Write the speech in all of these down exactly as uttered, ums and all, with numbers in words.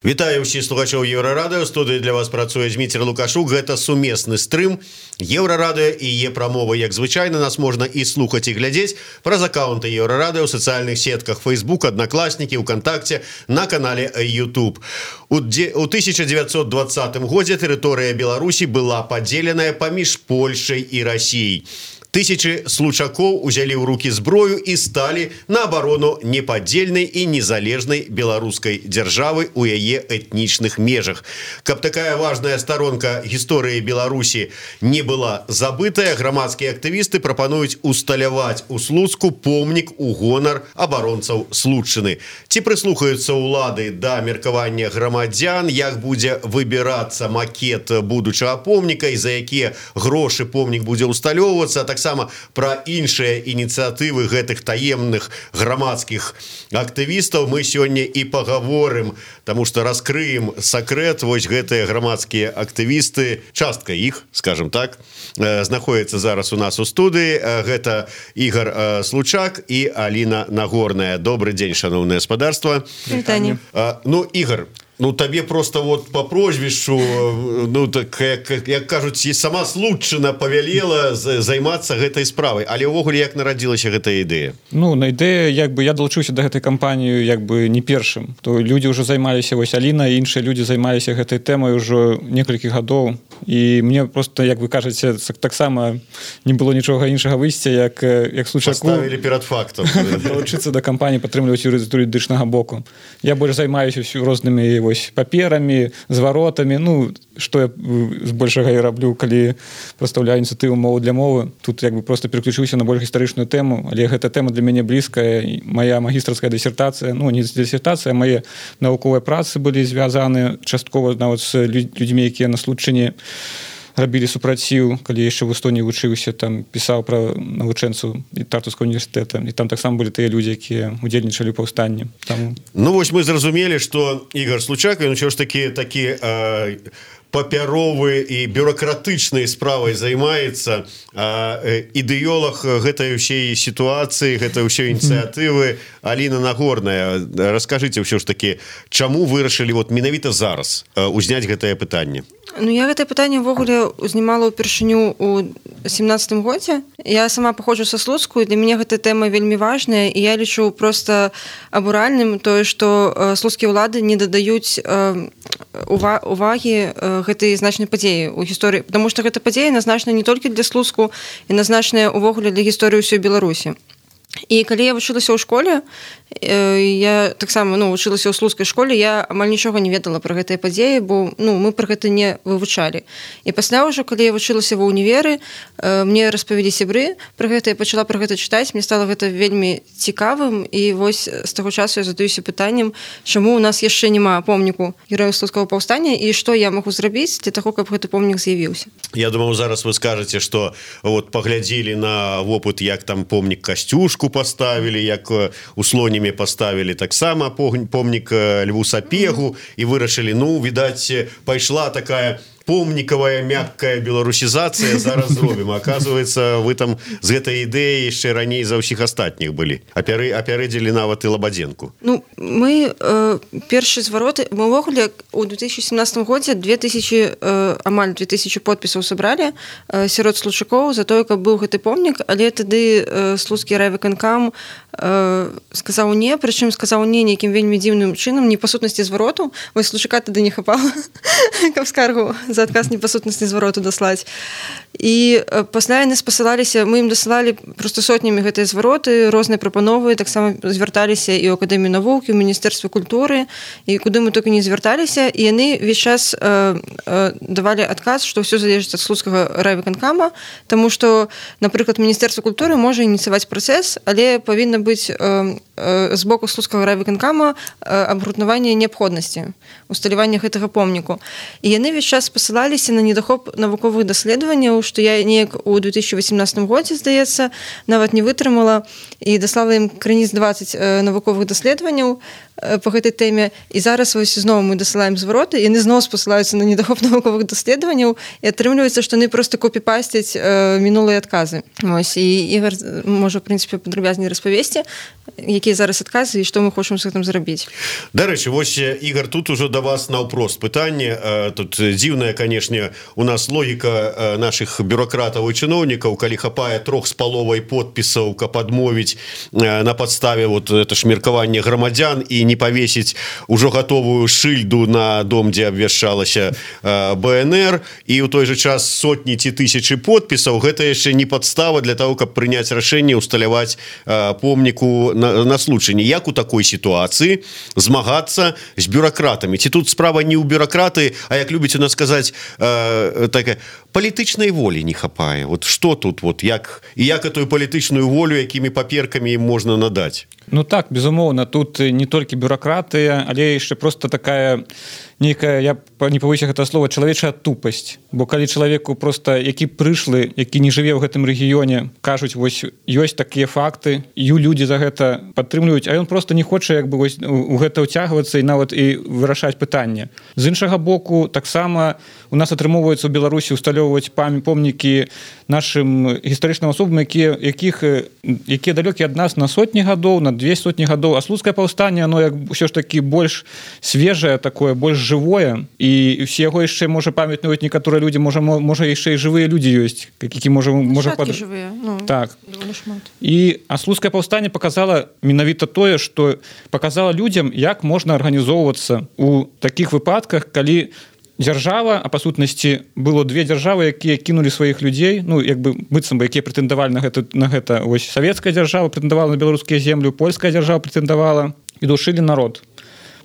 Вітаю ўсіх слухачоў Еўрарадыё. Студыі для вас працуе Дмітрий Лукашук. Гэта сумесны стрым Еўрарадыё і Е-прамова. Як звычайна, нас можна і слухаць, і глядзець праз аккаунты Еўрарадыё ў сацыяльных сетках Facebook, Аднакласнікі, УКонтакте, на канале YouTube. У тысяча девятьсот двадцатым годзе тэрыторыя Беларусі была падзеленая паміж Польшай і Расіяй. Тысячи случакоў узялі ў рукі зброю і сталі на абарону непадзельнай і незалежнай беларускай дзяржавы у яе этнічных межах. Каб такая важная старонка гісторыі Беларусі не была забытая, грамадскія актывісты прапануюць усталяваць у Слуцку помнік у гонар абаронцаў Слуцчыны. Ці прыслухаюцца ўлады да меркавання грамадзян, як будзе выбірацца макет будучага помніка і за якія грошы помнік будзе усталёўвацца, так таксама пра іншыя ініцыятывы гэтых таемных грамадскіх актывістаў мы сёння і пагаворым, таму што раскрыем сакрэт. Вось гэтыя грамадскія актывісты, частка іх, скажем так, знаходзіцца зараз у нас у студыі. Гэта Ігор Случак і Аліна Нагорная. Добры дзень, шаноўнае гаспадарства. Вітанне. Ну, Ігор, ну табе просто вот по прозвішчу, ну так як, як кажуць, і сама Слуцчына павялела займацца гэтай справай. Але ўвогуле як нарадзілася гэтая ідэя? Ну, на ідэя, як бы я далучыўся да гэтай кампаніі як бы не першым. То людзі ўжо займаліся, вось Аліна і іншыя людзі займаліся гэтай тэмай ўжо некалькі гадоў. І мне просто, як вы кажаце, таксама не было нічога іншага выйсця, як як Случаку. Паставілі перад фактам. Далучыцца да кампаніі, падтрымліваць юрыдычнага боку. Я больш займаюся рознымі паперамі, зваротамі, ну што я збольшага я раблю, калі прадстаўляю ініцыятыву мову для мовы. Тут як бы просто переключыўся на больш гістарычную тэму, але гэта тэма для мяне блізкая. Мая магістрская дысертацыя, ну не дысертацыя, мае навуковыя працы былі звязаны часткова нават з людзьмі, якія на Слуцчыне рабілі супраціў, калі яшчэ в Эстонії вучыўся, там пісаў пра навучэнцаў і Тартускага універсітэта, і там таксама былі тыя людзі, якія удзельнічалі ў паўстанні. Там... Ну вось мы зразумелі, што Ігор Случак, ён ўсё ж такі такі э, папяровы і бюрократычнай справай займаецца, а ідэолог гэтай усей сітуацыі, гэтай усей ініцыятывы Аліна Нагорная. Раскажыце ўсё ж такі, чаму вырашылі вот менавіта зараз узняць гэтае пытанне? Ну, я гэтае пытанне ўвогуле узнімала ўпершыню ў семнадцатым годзе. Я сама паходжу са Слуцку, і для мяне гэтая тэма вельмі важная, і я лічу проста абуральным тое, што слуцкія ўлады не дадаюць увагі гэтай значнай падзеі ў гісторыі, потому што гэта падзея назначана не толькі для Слуцку, і назначаная ўвогуле для гісторыі ўсёй Беларусі. І калі я вучылася ў школе, я таксама ну, вучылася ў слуцкай школе, я амаль нічога не ведала пра гэтыя падзеі, бо ну, мы пра гэта не вывучалі. І пасля ўжо, калі я вучылася ва ўніверы, мне распавялі сябры пра гэта, я пачала пра гэта чытаць, мне стала гэта вельмі цікавым, і вось з таго часу я задаюся пытаннем, чаму у нас яшчэ няма помніку герояў слуцкага паўстання, і што я магу зрабіць для таго, каб гэты помнік з'явіўся. Я думаю, зараз вы скажаце, што вот паглядзелі на вопыт, як там помнік Касцюшку поставілі, як у Слонімі поставілі таксама помнік Льву Сапегу і вырашылі, ну, відаць, пайшла такая помніковая мяккая беларусізацыя, зараз зробім. Оказывается, вы там з гэтай ідэяй яшчэ раней за ўсіх астатніх былі. Апяры, апярэдзілі нават і Лабадзенку. Ну, мы э, першы звароты, мы ўвогуле у две тысячи семнадцатым годзе две тысячи, э, амаль две тысячи подпісаў сабралі э, сярод слуцчакоў за тое, каб быў гэты помнік, але тады э, слуцкі райвыканкам э, сказаў не, прычым сказаў не нейкім вельмі дзіўным чынам, не па сутнасці звароту, вось Случака тады не хапала, каб скаргу за адказ непасутнасці звароту даслаць. І пасля яны спасылаліся, мы ім дасылалі проста сотнямі гэтыя звароты, розныя прапановы, таксама звярталіся і ў Акадэмію навук, і ў Міністэрства культуры, і куды мы толькі не звярталіся, і яны увесь час э, э, давалі адказ, што ўсё залежыць ад слуцкага райвыканкама, таму што, напрыклад, Міністэрства культуры можа ініцыяваць працэс, але павінна быць э, э, з боку слуцкага райвыканкама э, абгрунтаванне неабходнасці усталявання гэтага помніку. І яны увесь час спасылаліся на недахоп навуковых даследаванняў, што я неяк у две тысячи восемнадцатым годзе, здаецца, нават не вытрымала і даслала ім крыніц дваццаць навуковых даследаванняў, по гэтай тэме, і зараз вось зноў мы дасылаем звароты, і яны зноў спасылаюцца на недахоп навуковых даследаванняў, і атрымліваецца, што яны проста копіпасцяць э, мінулыя адказы. Вось, і Ігор можа, в прынцыпе, падрабязней распавесці, якія зараз адказы і што мы хочам з гэтым зрабіць. Дарэчы, вось, Ігор, тут ужо да вас наўпрост пытанне. Тут дзіўная, канешне, у нас логіка наших бюрократаў і чыноўнікаў, калі хапае трох з паловай подпісаў, каб адмовіць на падставе вот это ж меркаванне грамадзян і не павесіць ужо гатовую шыльду на дом, дзе абвяшчалася бэ эн эр, і ў той же час сотні ці тысячы подпісаў, гэта яшчэ не падстава для того, каб прыняць рашэнне усталяваць помніку на, на случайне. Як у такой сітуацыі змагацца з бюракратамі? Ці тут справа не ў бюракраты, а як любіць у нас сказаць, э, такая палітычнай волі не хапае. Вот што тут, вот, як, і як эту палітычную волю, якімі паперкамі ім можна надаць? Ну так, безумоўна, тут не толькі бюракратыя, але яшчэ просто такая нейкая, я не павысю гэта слова, чалавечая тупасць. Бо калі чалавеку просто, які прышлы, які не жыве ў гэтым рэгіёне, кажуць, вось ёсць такія факты, і людзі за гэта падтрымліваюць, а ён просто не хоча як бы вось у гэта ўцягвацца і нават і вырашаць пытанне. З іншага боку, таксама у нас атрымоўваецца ў Беларусі усталёўваць помнікі нашым гістарычным асобам, якія якіх якія далёкія ад нас на сотні гадоў, на две сотні гадоў, а слуцкае паўстанне, оно як ўсё ж такі больш свежае такое, больш жывое, і ўсе яго яшчэ можа памятаюць некаторыя людзі, можа можа яшчэ і жывыя людзі ёсць, які можа можа пад... жывыя, ну, так. І а слуцкае паўстанне показала менавіта тое, што показала людзям, як можна арганізоўвацца у такіх выпадках, калі дзяржава, а па сутнасці было две дзяржавы, якія кінулі сваіх людзей, ну як бы быццам бы якія прэтэндавалі на гэта, на гэта вось савецкая дзяржава прэтэндавала на беларускія землю, польская дзяржава прэтэндавала і душылі народ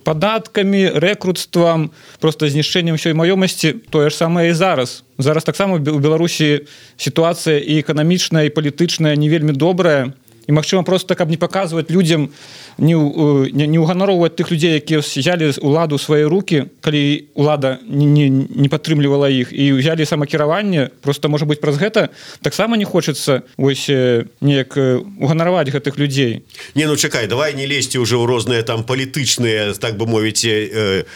падаткамі, рэкруцтвам, просто знішчэннем ўсёй маёмасці. Тое ж самае і зараз. Зараз таксама у Беларусі сітуацыя і эканамічная, і палітычная не вельмі добрая. І, магчыма, просто каб не паказваць людзям, не, не, не ўганароўваць тых людзей, якія взялі уладу ў свае рукі, калі улада не, не, не падтрымлівала іх, і взялі самакіраванне, просто, можа быць, праз гэта таксама не хочацца вось неяк уганараваць гэтых людзей. Не, ну чакай, давай не лезьце ўжо ў розныя там палітычныя, так бы мовіць, э,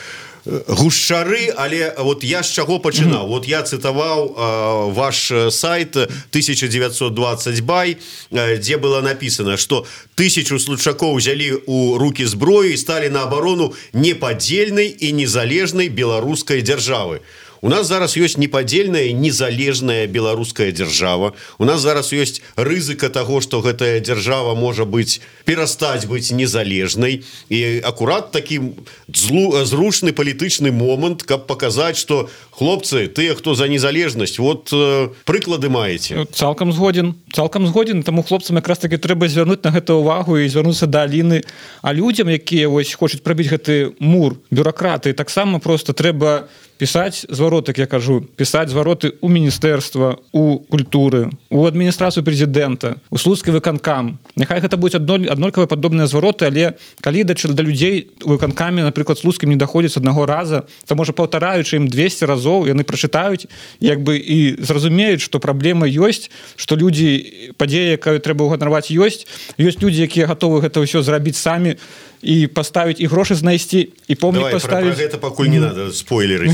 гушчары, але вот я з чаго пачынаў? Mm-hmm. Вот я цытаваў э, ваш сайт тысяча девятьсот двадцать бай, э, дзе было написано, што тысячу случакоў взялі ў рукі зброі і сталі на абарону непадзельнай і незалежнай беларускай дзяржавы. У нас зараз ёсць непадзельная незалежная беларуская дзяржава. У нас зараз ёсць рызыка таго, што гэтая дзяржава можа быць перастаць быць незалежнай. І акурат такі злу, зручны палітычны момант, каб паказаць, што хлопцы, тыя, хто за незалежнасць, вот э, прыклады маеце. Цалкам згоден. Цалкам згоден, таму хлопцам якраз таки трэба звярнуць на гэта ўвагу і звярнуцца да Аліны. А людзям, якія вось хочуць прабіць гэты мур, бюракраты, таксама просто трэба пісаць зваротак, я кажу, пісаць звароты ў міністэрства, у культуры, у адміністрацыю прэзідэнта, у слуцкі выканкам. Няхай гэта будуць аднолькавыя падобныя звароты, але калі да, да людзей у выканкамі, напрыклад, слуцкім не даходзіць аднаго раза, то можа паўтараючы ім двесце разоў, яны прачытаюць, як бы і зразумеюць, што праблема ёсць, што людзі, падзея, якую трэба ўганараваць, ёсць. Ёсць людзі, якія гатовы гэта ўсё зрабіць самі, і паставіць, і грошы знайсці, і помнік паставіць. Давай, про, про гэта пакуль не надо спойлеры.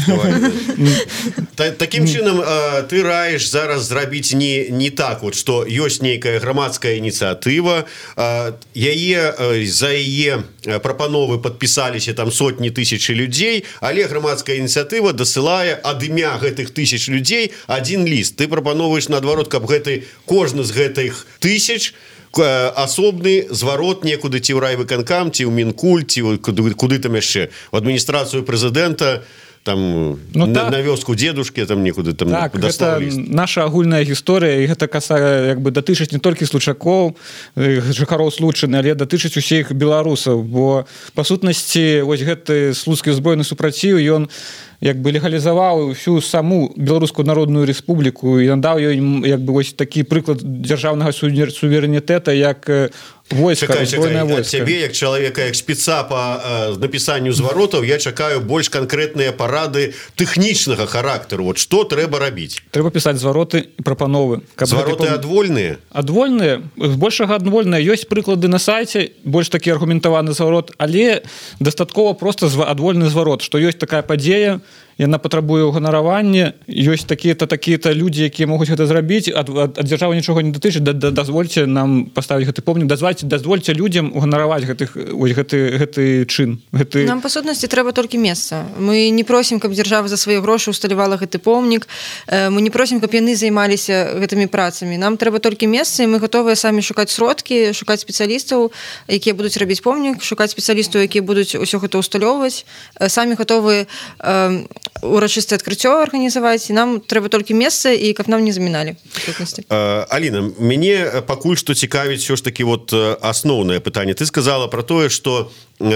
Такім чынам, ты раеш зараз зрабіць не, не так, вот, што ёсць нейкая грамадская ініцыятыва, яе, за яе прапановы падпісаліся там сотні тысячы людзей, але грамадская ініцыятыва дасылае ад імя гэтых тысяч людзей адзін ліст. Ты прапановаеш наадварот, каб гэты, кожны з гэтых тысяч асобны зварот некуды ці ў райвыканкам, ці ў Мінкульт, ці куды, куды там яшчэ, у адміністрацыю прэзідэнта, там ну, на, так. на вёску дзедушкі там некуды там так, гэта наша агульная гісторыя, і гэта касае як бы датычыць не толькі случакоў, жыхароў Случыны, але датычыць усіх беларусаў, бо па сутнасці вось гэты слуцкі збройны супраціў, ён як бы легалізаваў всю саму Беларускую народную рэспубліку і надаў ёй як бы вось такі прыклад дзяржаўнага суверэнітэта, як войска, чакай, збройнае чакай, войска. Цябе, як чалавека, як спеца по э, напісанню зваротаў, я чакаю больш канкрэтныя парады тэхнічнага характару. Вот што трэба рабіць? Трэба пісаць звароты і прапановы. Каб звароты гэты... адвольныя? Адвольныя, збольшага адвольныя. Ёсць прыклады на сайце, больш такі аргументаваны зварот, але дастаткова проста адвольны зварот, што ёсць такая падзея, яна патрабуе ўганаравання, ёсць такія-то такія-то людзі, якія могуць гэта зрабіць, ад, ад, ад дзяржавы нічога не датычыць, да, да, дазвольце нам паставіць гэты помнік, дазвольце, дазвольце людзям уганараваць гэтых, ось, гэты, гэты чын. Гэты... Нам, па сутнасці, трэба толькі месца. Мы не просім, каб дзяржава за свае грошы усталявала гэты помнік, мы не просім, каб яны займаліся гэтымі працамі. Нам трэба толькі месца, і мы гатовыя самі шукаць сродкі, шукаць спецыялістаў, якія будуць рабіць помнік, шукаць спецыялістаў, якія будуць усё гэта усталёўваць, самі гатовыя урачыстае адкрыццё арганізаваць, і нам трэба толькі месца, і каб нам не заміналі. Аліна, мяне пакуль што цікавіць ўсё ж такі вот асноўнае пытанне. Ты сказала про тое, што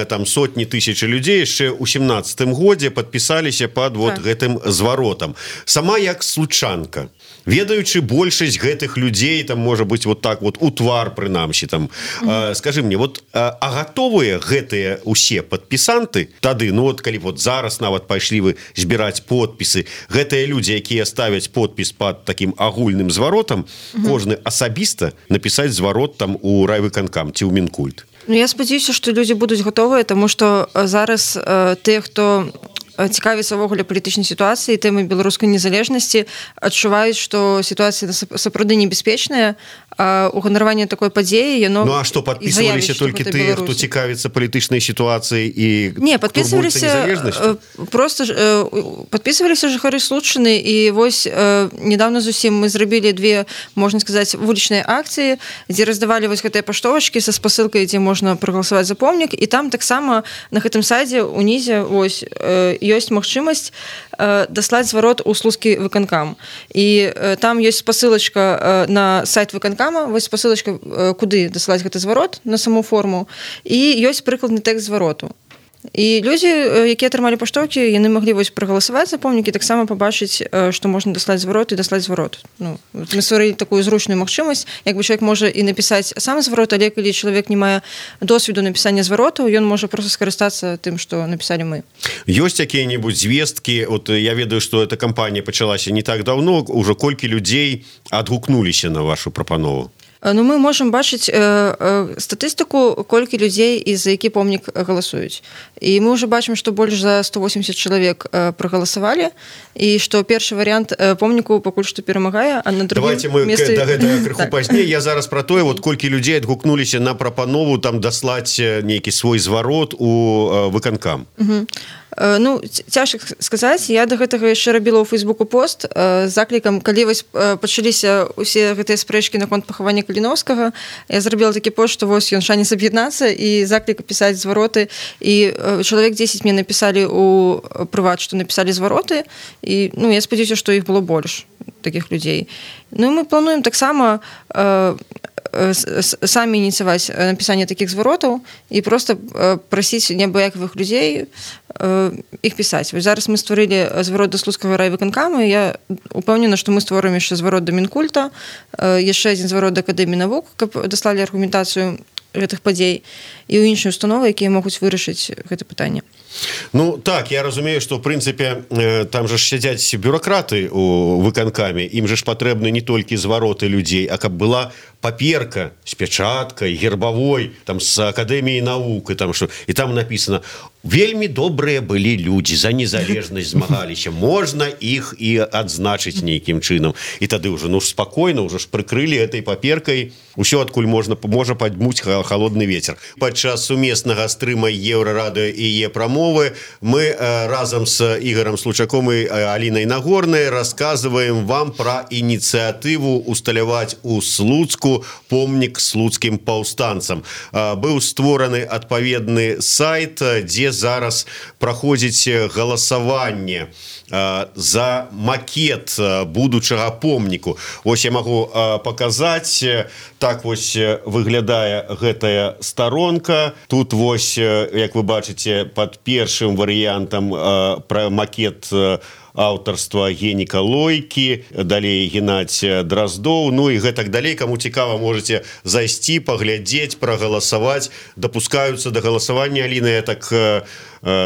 там сотні тысячы людзей яшчэ ў сямнаццатым годзе падпісаліся пад вот так. гэтым зваротам. Сама як случанка, ведаючы большасць гэтых людзей, там можа быць вот так вот у твар прынамсі там, mm-hmm. э, скажы мне, вот а, а гатовыя гэтыя усе падпісанты тады, ну вот калі вот зараз нават пайшлі вы збіраць подпісы, гэтыя людзі, якія ставяць подпіс пад такім агульным зваротам, mm-hmm. кожны асабіста напісаць зварот там у райвыканкам ці ў Мінкульт. Ну, я спадзяюся, што людзі будуць гатовыя, таму што зараз э, тыя, хто цікавіцца ўвогуле палітычнай сітуацыі, тэмай беларускай незалежнасці, адчуваюць, што сітуацыя сапраўды небяспечная, а уганараванне такой падзеі, яно... Ну, а што, падпісваліся толькі тыя, хто цікавіцца палітычнай сітуацыяй і... Не, падпісваліся... Проста падпісваліся жыхары Случчыны, і вось недавно зусім мы зрабілі две, можна сказаць, вулічныя акцыі, дзе раздавалі вось гэтыя паштовачкі са спасылкай, дзе можна прагаласаваць за помнік, і там таксама на гэтым сайце унізе вось ёсць магчымасць даслаць зварот у слуцкі выканкам. І там ёсць спасылачка на сайт выканкама, вось спасылачка, куды даслаць гэты зварот, на саму форму, і ёсць прыкладны тэкст звароту. І людзі, якія атрымалі паштоўкі, яны маглі вось прагаласаваць за помнік і таксама пабачыць, што можна даслаць зварот і даслаць зварот. Ну, мы стварылі такую зручную магчымасць, як бы чалавек можа і напісаць сам зварот, але калі чалавек не мае досведу напісання зваротаў, ён можа проста скарыстацца тым, што напісалі мы. Ёсць якія-небудзь звесткі, от я ведаю, што эта кампанія пачалася не так даўно, ужо колькі людзей адгукнуліся на вашу прапанову? Ну, мы можам бачыць э, э, статыстыку, колькі людзей і за які помнік галасуюць. І мы ўжо бачым, што больш за сто восемьдесят чалавек э, прагаласавалі, і што першы варыянт э, помніку пакуль што перамагае, а на другім месцы... Давайте мы месцы... да гэтага крыху так. пазней. Я зараз пра тое, вот колькі людзей адгукнуліся на прапанову там даслаць нейкі свой зварот у э, выканкам. Угу. Ну, цяжка сказаць, я да гэтага яшчэ рабіла ў Фейсбуку пост з заклікам, калі вось пачаліся ўсе гэтыя спрэчкі наконт пахавання Каліновскага, я зрабіла такі пост, што вось ён шанец аб'яднацца і заклік пісаць звароты, і чалавек дзесяць мне напісалі ў прыват, што напісалі звароты, і ну, я спадзяюся, што іх было больш такіх людзей. Ну, мы плануем таксама э, самі ініцыяваць напісанне такіх зваротаў і проста прасіць неабыякавых людзей іх пісаць. Вось зараз мы стварылі зварот да слуцкага райвыканкама, і я упэўнена, што мы створым яшчэ зварот да Мінкульта, яшчэ адзін зварот да Акадэміі навук, каб даслалі аргументацыю гэтых падзей і ў іншыя установы, якія могуць вырашыць гэта пытанне. Ну так, я разумею, што ў прынцыпе там жа сядзяць бюракраты у выканкаме, ім же ж патрэбны не толькі звароты людзей, а каб была паперка з пячаткай, гербавой, там з Акадэміі навук, і там што, і там напісана: вельмі добрыя былі людзі, за незалежнасць змагаліся, можна іх і адзначыць нейкім чынам. І тады ўжо ну спакойна, ўжо ж прыкрылі этой паперкай усё, адкуль можна можа падмуць халодны вецер. Падчас сумеснага стрыма Еўрарадыё і Е-прамовы мы разам з Ігорам Случаком і Алінай Нагорнай расказваем вам пра ініцыятыву усталяваць у Слуцку помнік слуцкім паўстанцам. Быў створаны адпаведны сайт, дзе зараз праходзіць галасаванне за макет будучага помніку. Вось я магу паказаць, так вось выглядае гэтая старонка. Тут вось, як вы бачыце, пад першым варыянтам пра макет аўтарства Геніка Лойкі, далей Геннадзь Дроздоў, ну і гэтак далей. Каму цікава, можете зайсці, паглядзець, прагаласаваць. Дапускаюцца да галасавання, Аліна, я так э,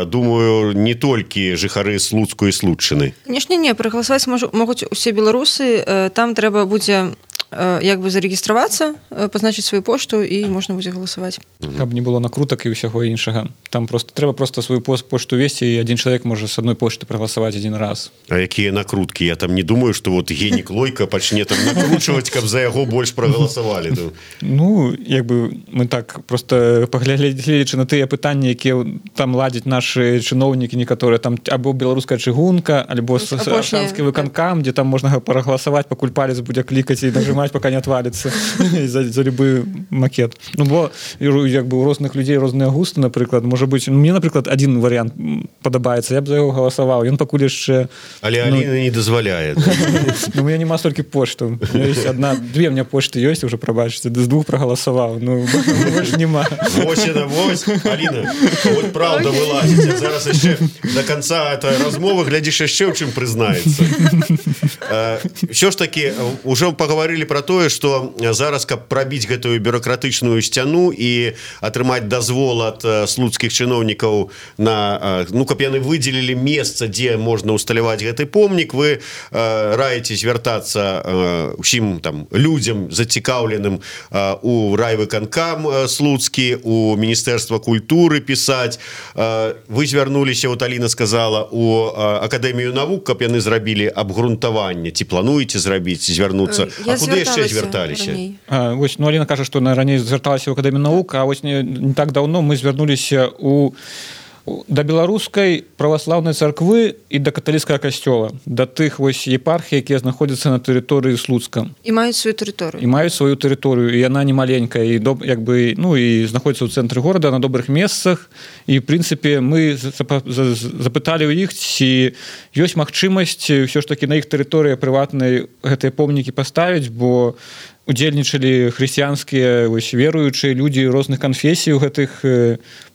думаю, не толькі жыхары Слуцку і Слуцчыны. Конечно, не, прагаласаваць могуць усе беларусы, там трэба будзе як бы зарэгістравацца, пазначыць сваю пошту і можна будзе галасаваць. Каб не было накрутак і ўсяго іншага. Там просто трэба просто сваю пошту весці, і адзін чалавек можа з адной пошты прагаласаваць адзін раз. А якія накруткі? Я там не думаю, што вот Генік Лойка пачне там накручваць, каб за яго больш прагаласавалі. Ну, як бы мы так просто паглядзелі на тыя пытанні, якія там ладзяць нашы чыноўнікі некаторыя, там або беларуская чыгунка, альбо Аршанскі выканкам, дзе там можна прагаласаваць, пакуль палец будзе клікаць і нажимаць, пока не отвалится за, за любы макет. Ну, бо як бы у розных людзей розныя густы, напрыклад, можа быць, ну, мне, напрыклад, один варыянт падабаецца, я б за яго галасаваў, ён пакуль яшчэ... Але ну, Аліна не дазваляе. Ну, у меня няма столькі поштаў. Одна, две у меня пошты ёсць, уже прабачыце, з двух прагаласаваў. Ну, больш няма. Вось, вось, Аліна, вот правда вылазіць. Зараз яшчэ до конца этой размовы глядзіш яшчэ ў чым прызнаецца. Що ж таки, уже поговорили про тое, што зараз, каб прабіць гэтую бюрократычную сцяну і атрымаць дазвол ад слуцкіх чыноўнікаў на, ну, каб яны выдзелілі месца, дзе можна усталяваць гэты помнік, вы раіце звяртацца усім там людзям зацікаўленым у райвыканкам слуцкі, у Міністэрства культуры пісаць. Вы звярнуліся, вот Аліна сказала, у Акадэмію навук, каб яны зрабілі абгрунтаванне. Ці плануеце зрабіць, звярнуцца? А куды яшчэ звярталіся? А, вось, ну, Аліна кажа, што на раней звярталася ў Акадэмію навук, а вось не, не так даўно мы звярнуліся у да беларускай праваслаўнай царквы і да каталіцкага касцёла, да тых вось епархій, якія знаходзяцца на тэрыторыі Слуцка. І маюць сваю тэрыторыю. І маюць сваю тэрыторыю, і яна не маленькая, і доб, як бы, ну, і знаходзіцца ў цэнтры горада на добрых месцах. І, в прынцыпе, мы запыталі ў іх, ці ёсць магчымасць ўсё ж такі на іх тэрыторыі прыватнай гэтыя помнікі паставіць, бо удзельнічалі хрысціянскія веруючыя людзі розных канфесій у гэтых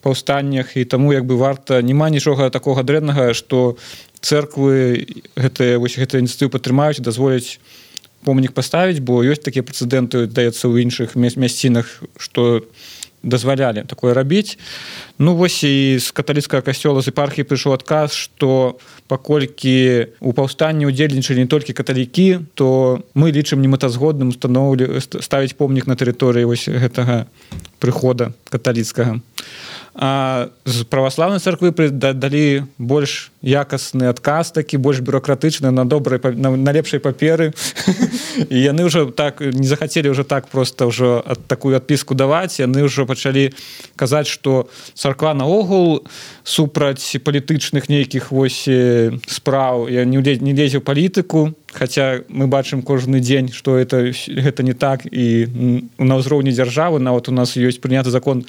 паўстаннях, і таму як бы варта, няма нічога такога дрэннага, што цэрквы гэтыя вось гэтыя ініцыятывы падтрымаюць, дазволяць помнік паставіць, бо ёсць такія прэцэдэнты, даецца ў іншых мясцінах, што дазвалялі такое рабіць. Ну вось і з каталіцкага касцёла, з епархіі прыйшоў адказ, што паколькі у паўстанні удзельнічалі не толькі каталікі, то мы лічым немэтазгодным устаноўлі ставіць помнік на тэрыторыі вось гэтага прыхода каталіцкага. А з праваслаўнай царквы далі больш якасны адказ, такі больш бюрократычны, на добрай, на, на лепшай паперы. І яны ўжо так не захацелі ўжо так проста ўжо такую адпіску даваць, яны ўжо пачалі казаць, што царква наогул супраць палітычных нейкіх вось спраў, я не лезе ў палітыку, хаця мы бачым кожны дзень, што это, гэта не так, і на ўзроўні дзяржавы нават у нас ёсць прыняты закон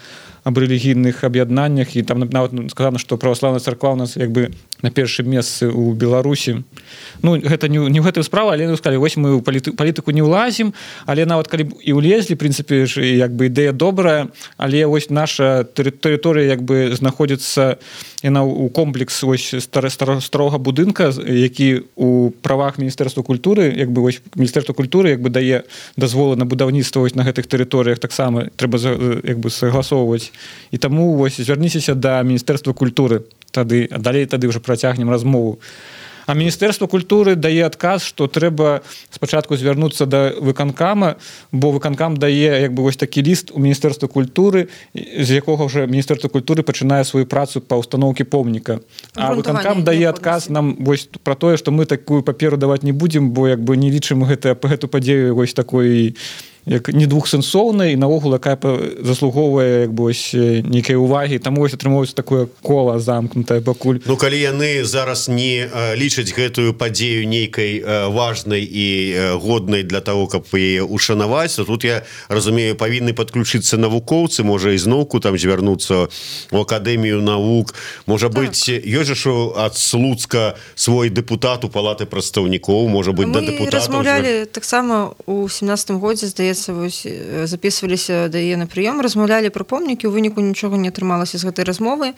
аб рэлігійных аб'яднаннях, і там нават сказана, што праваслаўная царква у нас як бы на першым месцы ў Беларусі. Ну, гэта не, не ў гэтую справу, але сказалі, вось мы ў паліты, палітыку не ўлазім, але нават калі і ўлезлі, в прынцыпе, як бы ідэя добрая, але вось наша тэрыторыя як бы знаходзіцца яна ў комплекс вось старога будынка, які у правах Міністэрства культуры, як бы вось Міністэрства культуры як бы дае дазволы на будаўніцтва вось на гэтых тэрыторыях, таксама трэба як бы согласоўваць. І таму вось звярніцеся да Міністэрства культуры, тады, а далей тады ўжо працягнем размову. А Міністэрства культуры дае адказ, што трэба спачатку звярнуцца да выканкама, бо выканкам дае як бы вось такі ліст у Міністэрства культуры, з якога ўжо Міністэрства культуры пачынае сваю працу па ўстаноўкі помніка. А выканкам дае адказ нам вось пра тое, што мы такую паперу даваць не будзем, бо як бы не лічым гэта, гэту падзею вось такой як не двухсэнсоўнай, і наогул якая заслугоўвае як бы ось нейкай увагі, таму вось атрымоўваецца такое кола замкнутае пакуль. Ну калі яны зараз не лічаць гэтую падзею нейкай важнай і годнай для того, каб яе ушанаваць, то тут я разумею, павінны падключыцца навукоўцы, можа ізноўку там звярнуцца ў Акадэмію навук, можа так. быць ёсць жа ад Слуцка свой дэпутат у палаты прадстаўнікоў, можа быць да дэпутатаў. Мы размаўлялі таксама ў сямнадцатым годзе, здаецца, записываліся да яе на прыём, размаўлялі пра помнікі, у выніку нічога не атрымалася з гэтай размовы.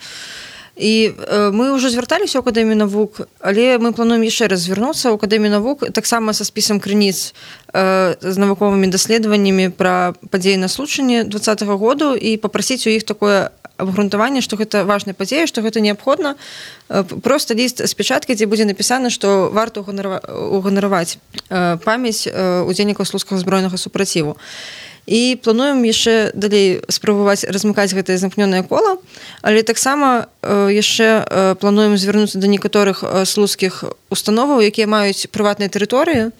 І мы ўжо звярталіся ў акадэмію навук, але мы плануем яшчэ раз звярнуцца ў акадэмію навук таксама са спісам крыніц з навуковымі даследаваннямі пра падзеі на случанні двадцатага году і папрасіць у іх такое абгрунтаванне, што гэта важная падзея, што гэта неабходна. Просто ліст з печаткай, дзе будзе напісана, што варта уганараваць памяць удзельнікаў слуцкага збройнага супраціву. І плануем яшчэ далей спрабаваць размыкаць гэтае замкнёнае кола, але таксама яшчэ плануем звярнуцца да некаторых слуцкіх установаў, якія маюць прыватныя тэрыторыі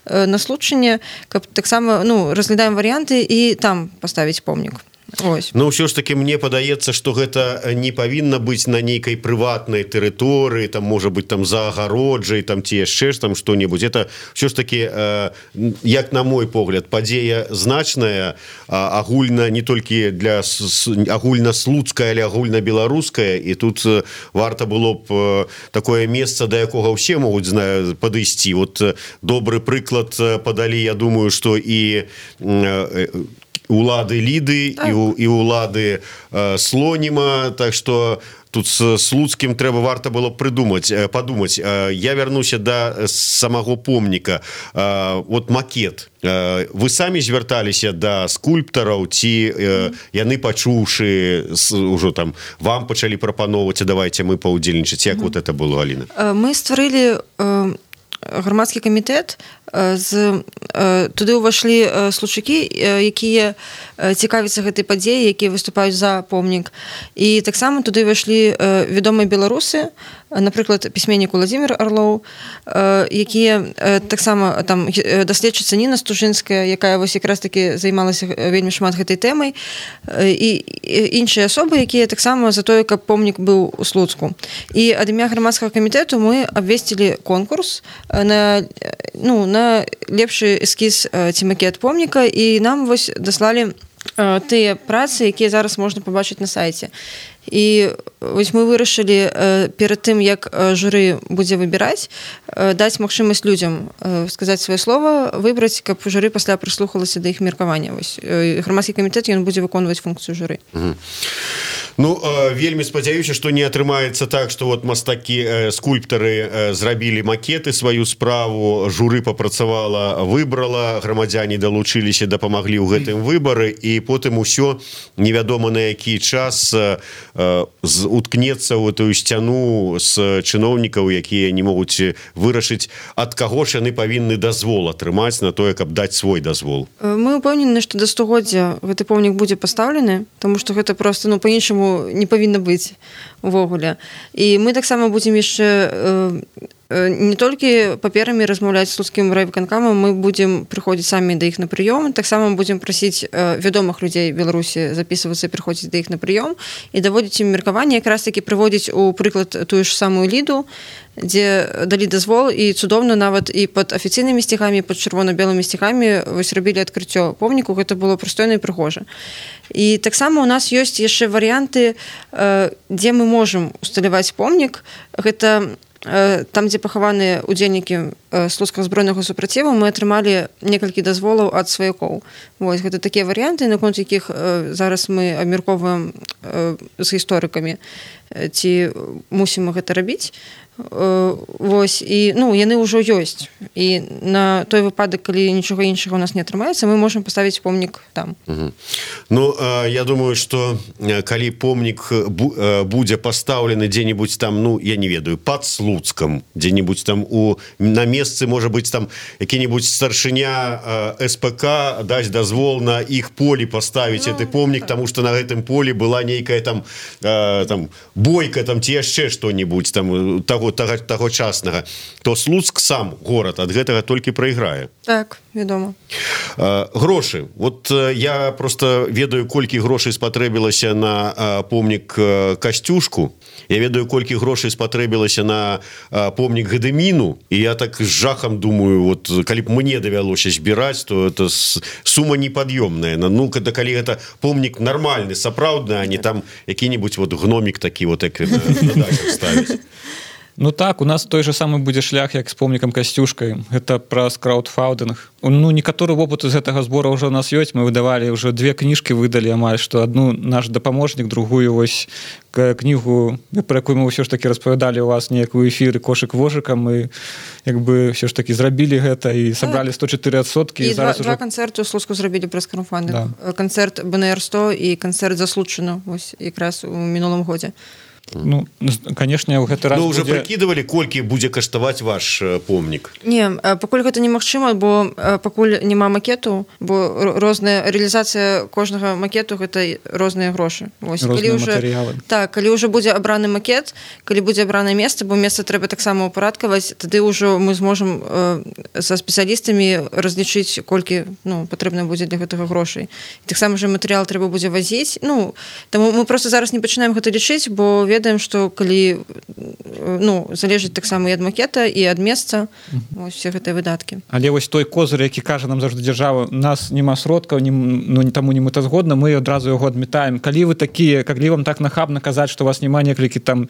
на случанне, каб таксама ну, разглядаем варыянты і там паставіць помнік. Ось. Ну ўсё ж таки мне падаецца, што гэта не павінна быць на нейкай прыватнай тэрыторыі, там можа быць там за агароджай, там ці яшчэ ж там што-небудзь. Это ўсё ж таки, э, як на мой погляд, падзея значная, а, агульна не толькі для агульнаслуцкая, але агульна-беларуская, і тут варта было б э, такое месца, да якога ўсе могуць знаю падысці. Вот э, добры прыклад падалі, я думаю, што і э, улады Ліды так. і, і улады э, Слоніма, так што тут з Слуцкім трэба варта было прыдумаць, э, падумаць. Э, я вярнуся да самого помніка. Э, вот макет. Э, вы самі звярталіся да скульптараў, ці э, яны пачуўшы ўжо там вам пачалі прапаноўваць, давайте мы паўдзельнічаць. Як mm. вот это было, Аліна? Мы стварылі э, грамадскі камітэт, з туды ўвайшлі случакі, якія цікавяцца гэтай падзеі, якія выступаюць за помнік. І таксама туды ўвайшлі вядомыя беларусы, напрыклад, пісьменнік Уладзімір Арлоў, якія таксама там даследчыца Ніна Стужынская, якая вось якраз таки займалася вельмі шмат гэтай тэмай, і іншыя асобы, якія таксама за тое, каб помнік быў у Слуцку. І ад імя грамадскага камітэту мы абвесцілі конкурс на ну, на лепшы эскіз ці макет помніка, і нам вось даслалі тыя працы, якія зараз можна пабачыць на сайце. І вось мы вырашылі перад тым, як журы будзе выбіраць, даць магчымасць людзям сказаць сваё слова, выбраць, каб журы пасля прыслухалася да іх меркавання. Вось грамадскі камітэт, ён будзе выконваць функцыю журы. Угу. Ну, вельмі спадзяюся, што не атрымаецца так, што вот мастакі, скульптары зрабілі макеты, сваю справу, журы папрацавала, выбрала, грамадзяне далучыліся, дапамаглі ў гэтым выбары, і потым усё невядома на які час уткнецца ў эту сцяну з чыноўнікаў, якія не могуць вырашыць, ад каго ж яны павінны дазвол атрымаць на тое, каб даць свой дазвол. Мы ўпэўнены, што да стагоддзя гэты помнік будзе пастаўлены, таму што гэта проста ну па-іншаму не павінна быць увогуле. І мы таксама будзем яшчэ не толькі паперамі размаўляць з слуцкім райвыканкамам, мы будзем прыходзіць самі да іх на прыём, таксама будзем прасіць вядомых людзей Беларусі запісвацца і прыходзіць да іх на прыём і даводзіць ім меркаванне, якраз такі прыводзіць у прыклад тую ж самую Ліду, дзе далі дазвол, і цудоўна нават і пад афіцыйнымі сцягамі, пад чырвона-белымі сцягамі вось рабілі адкрыццё помніку, гэта было прыстойна і прыгожа. І таксама у нас ёсць яшчэ варыянты, дзе мы можам усталяваць помнік. Гэта там, дзе пахаваныя удзельнікі слуцкага збройнага супраціву, мы атрымалі некалькі дазволаў ад сваякоў. Вось, гэта такія варыянты, наконт якіх зараз мы абмяркоўваем з гісторыкамі, ці мусім мы гэта рабіць. Вось, і ну, яны ўжо ёсць. І на той выпадак, калі нічога іншага у нас не атрымаецца, мы можам паставіць помнік там. Угу. Ну, я думаю, што калі помнік будзе пастаўлены дзе-небудзь там, ну, я не ведаю, пад Слуцкам, дзе-небудзь там у, на месцы, можа быць, там які-небудзь старшыня эс пэ ка дасць дазвол на іх полі паставіць ну, гэты помнік, так. Таму што на гэтым полі была нейкая там, там бойка, там ці яшчэ што-небудзь там таго Таго, таго часнага, то Слуцк сам горад ад гэтага толькі прайграе. Так, вядома. А, грошы. Вот я просто ведаю, колькі грошай спатрэбілася на а, помнік а, Касцюшку. Я ведаю, колькі грошай спатрэбілася на а, помнік Гадыміну. І я так з жахам думаю, вот, калі б мне давялося збіраць, то это сума непад'ёмная. Ну, когда, калі гэта помнік нармальны, сапраўдны, а не там які-небудзь вот гномік такі, вот, як на дачах ставіць. Ну так, у нас той же самы будзе шлях, як з помнікам Касцюшкай. Гэта праз краудфаўдынг. Ну, некаторы вопыт з гэтага збора ўжо у нас ёсць. Мы выдавалі ўжо две кніжкі, выдалі амаль, што адну наш дапаможнік, другую вось кнігу, пра якую мы ўсё ж такі распавядалі у вас неякую эфіры кошык вожыкам, мы як бы ўсё ж такі зрабілі гэта і сабралі сто чатыры адсоткі. І два, уже... два канцэрты ў Слуцку зрабілі праз краудфандинг. Да. Канцэрт бэ эн эр сто і канцэрт заслучана вось якраз у мінулым годзе. Ну, конечно, ў гэты раз ну, уже будзе... прыкідывалі, колькі будзе каштаваць ваш помнік? Не, пакуль гэта немагчыма, бо пакуль няма макету, бо розная рэалізацыя кожнага макету гэта розныя грошы. Вось, розныя калі матэрыялы. Уже, так, калі ўжо будзе абраны макет, калі будзе абранае месца, бо месца трэба таксама ўпарадкаваць, тады ўжо мы зможам э, са спецыялістамі разлічыць, колькі ну, патрэбна будзе для гэтага грошай. І таксама же матэрыял трэба будзе вазіць. Ну, таму мы просто зараз не пачынаем гэта лічыць, бо ведаем, што калі ну, залежыць таксама і ад макета, і ад месца ось, все гэтыя выдаткі. Але вось той козыр, які кажа нам заўжды дзяржава, у нас няма сродкаў, ні, ну, таму не мэтазгодна, мы адразу яго адмятаем. Калі вы такія, калі вам так нахабна казаць, што у вас няма некалькі там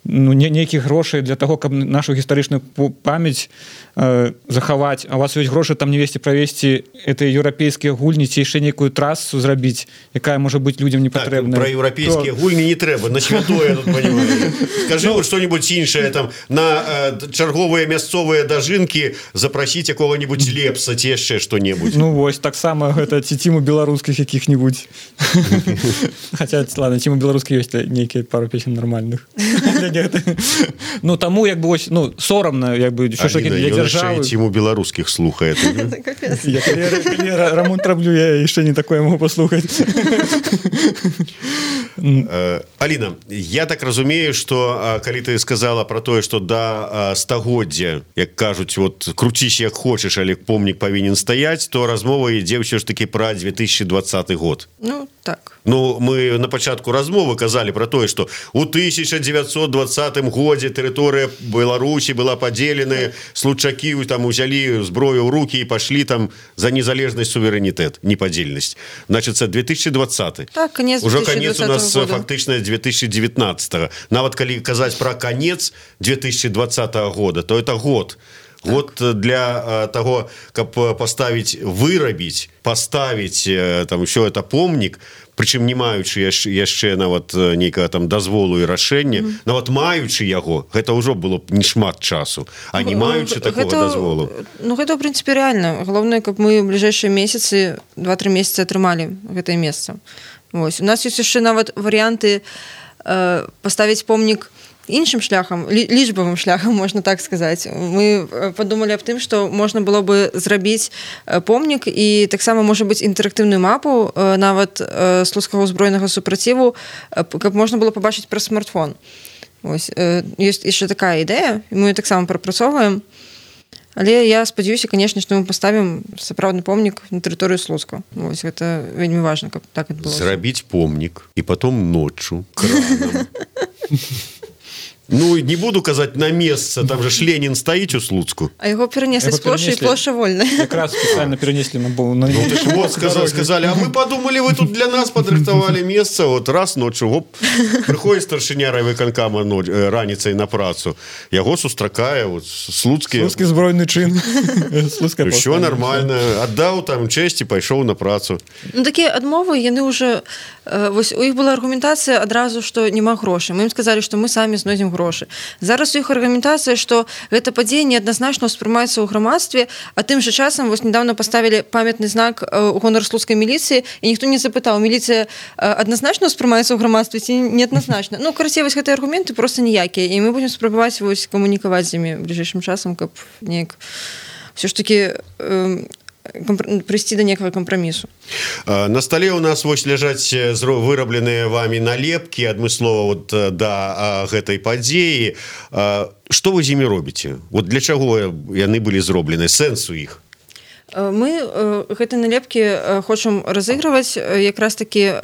ну, нейкіх грошай для таго, каб нашу гістарычную памяць э, захаваць, а у вас ёсць грошы там не весці правесці гэтыя еўрапейскія гульні ці яшчэ нейкую трасу зрабіць, якая можа быць людзям не патрэбна. Так, пра еўрапейскія то... гульні не трэба, на святое тут понимаю. Скажи вот что-нибудь іншае там на э, чарговыя мясцовыя дажынкі запрасіць якога-нибудь лепса ці яшчэ што-небудзь. Ну вось таксама гэта ці ціму беларускіх якіх-нибудь. Хаця ладно, ціму беларускіх ёсць нейкія пару песен нармальных. Ну таму як бы ось ну сорамна як бы що ж такі для дзяржавы ціму беларускіх слухае. Рамонт раблю, я яшчэ не такое могу паслухаць. Аліна, я так разумею, што калі ты сказала про тое, што да стагоддзя, як кажуць, вот круціш як хочаш, але помнік павінен стаяць, то размова ідзе ўсё ж такі пра две тысячи двадцаты год. Ну так. Ну мы на пачатку размовы казалі про тое, што у тысяча девятьсот двадцатым годзе тэрыторыя Беларусі была падзеленая, случакі там узялі зброю ў рукі і пашлі там за незалежнасць, суверэнітэт, непадзельнасць. Значыцца две тысячи двадцаты. Так, конец уже конец у нас года. фактычна две тысячи девятнадцатого. Нават калі казаць про конец две тысячи двадцатого года, то это год. Так. Вот для э, того, каб поставить, вырабіць, поставить э, там еще это помнік, прычым не маючы яшчэ, яшчэ нават нейкага там дазволу і рашэння, mm. нават маючы яго, гэта ўжо было б не шмат часу, а не маючы такого гэта, дазволу. Ну гэта ў прынцыпе рэальна. Галоўнае, каб мы ў бліжэйшыя месяцы два-тры месяцы атрымалі гэтае месца. Вось. У нас ёсць яшчэ нават варыянты э, паставіць помнік іншым шляхам, лічбавым шляхам, можна так сказаць. Мы падумалі аб тым, што можна было бы зрабіць помнік і таксама можа быць інтэрактыўную мапу нават слуцкага ўзброенага супраціву, каб можна было пабачыць праз смартфон. Ось. Ёсць яшчэ такая ідэя, мы таксама прапрацоўваем. Але я спадзяюся, канешне, што мы паставім сапраўдны помнік на тэрыторыю Слуцка. Вось гэта вельмі важна, каб так адбылося. Зрабіць помнік і потом ноччу краном. Ну, не буду казаць на месца, там же ж Ленін стаіць у Слуцку. А яго перанеслі з плошчы, і плошча вольная. Якраз спецыяльна перанеслі на бо на ну, ты ж вот сказали, сказали, а мы подумали, вы тут для нас подрыхтовали место, вот раз ночью, оп, приходит старшыня райвыканкама раніцай на працу, яго сустракае вот слуцкі слуцкі збройны чын. Все нормально, аддаў там честь і пайшоў на працу. Ну такія адмовы, яны уже вось у іх была аргументацыя адразу, што няма грошай. Мы ім сказалі, што мы самі знойдзем грошы. Зараз у іх аргументацыя, што гэта падзея неадназначна ўспрымаецца ў грамадстве, а тым жа часам вось недавно паставілі памятны знак у гонар слуцкай міліцыі, і ніхто не запытаў, міліцыя адназначна ўспрымаецца ў грамадстве ці неадназначна. Ну, карацей, вось гэтыя аргументы проста ніякія, і мы будзем спрабаваць вось камунікаваць з імі бліжэйшым часам, каб неяк ўсё ж такі э, прыйсці да некага кампрамісу. На стале у нас вось ляжаць вырабленыя вамі налепкі адмыслова вот да гэтай падзеі. Што вы з імі робіце? Вот для чаго яны былі зроблены? Сэнс у іх? Мы гэтыя налепкі хочам разыгрываць якраз такі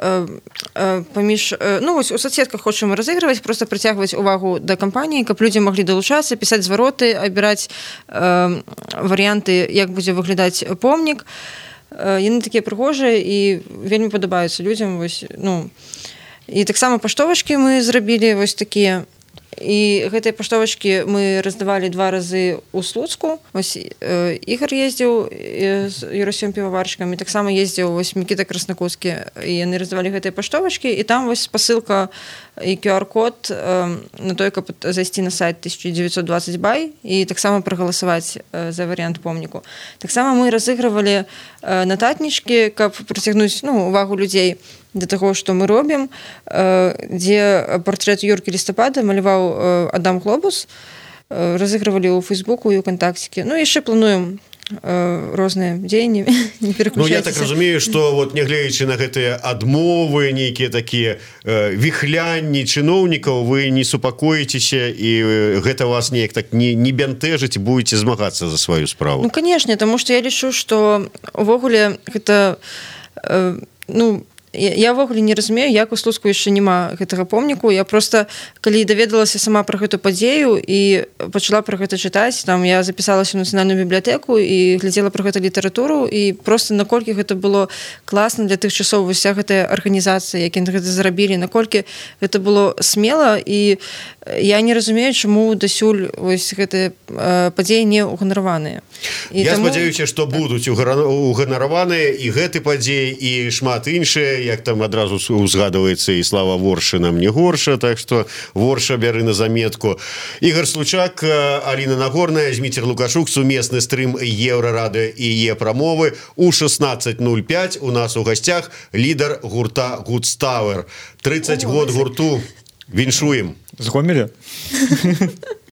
паміж, ну вось у соцсетках хочам разыгрываць, просто прыцягваць увагу да кампаніі, каб людзі маглі далучацца, пісаць звароты, абіраць варыянты, як будзе выглядаць помнік. Яны такія прыгожыя і вельмі падабаюцца людзям. Вось, ну. І таксама паштовачкі мы зрабілі вось такія. і гэтыя паштовачкі мы раздавалі два разы ў Слуцку. Вось э, Ігор ездзіў з Юрасём піваварчыкам, і таксама ездзіў вось Мікіта Краснакутскі, і яны раздавалі гэтыя паштовачкі, і там вось спасылка і ку ар-код э, на той, каб зайсці на сайт тысяча девятьсот двадцать бай і таксама прагаласаваць э, за варыянт помніку. Таксама мы разыгрывалі э, нататнічкі, каб прыцягнуць ну, увагу людзей да таго, што мы робім, э, дзе партрэт Юркі Лістапада маляваў э, Адам Глобус, э, разыгрывалі ў Фейсбуку і ў Кантакціке. Ну, яшчэ плануем розныя дзеянні, не пераключайцеся. Ну, я так разумею, што вот, нягледзячы на гэтыя адмовы, нейкія такія э, віхлянні чыноўнікаў, вы не супакоіцеся, і гэта вас неяк так не, не бянтэжыць, будете змагацца за сваю справу. Ну, канешне, таму што я лічу, што увогуле гэта э, ну, я ўвогуле не разумею, як у Слуцку яшчэ няма гэтага помніку. Я просто, калі даведалася сама пра гэту падзею і пачала пра гэта чытаць, там я запісалася ў нацыянальную бібліятэку і глядзела пра гэта літаратуру, і просто наколькі гэта было класна для тых часоў, вся гэтая арганізацыя, які гэта зрабілі, наколькі гэта было смела, і я не разумею, чаму дасюль вось гэтыя падзеі не уганараваныя. Я таму... спадзяюся, што будуць уганараваныя і гэты падзеі, і шмат іншыя, як там адразу узгадваецца і Слава Воршынам не горша, так што Ворша бяры на заметку. Ігор Случак, Аліна Нагорная, Зміцер Лукашук, сумесны стрым Еўрарадыё і Е-прамовы. У шестнадцать ноль пять у нас у гасцях лідар гурта Гудставер. тридцать год гурту. Віншуем. З Гомеля?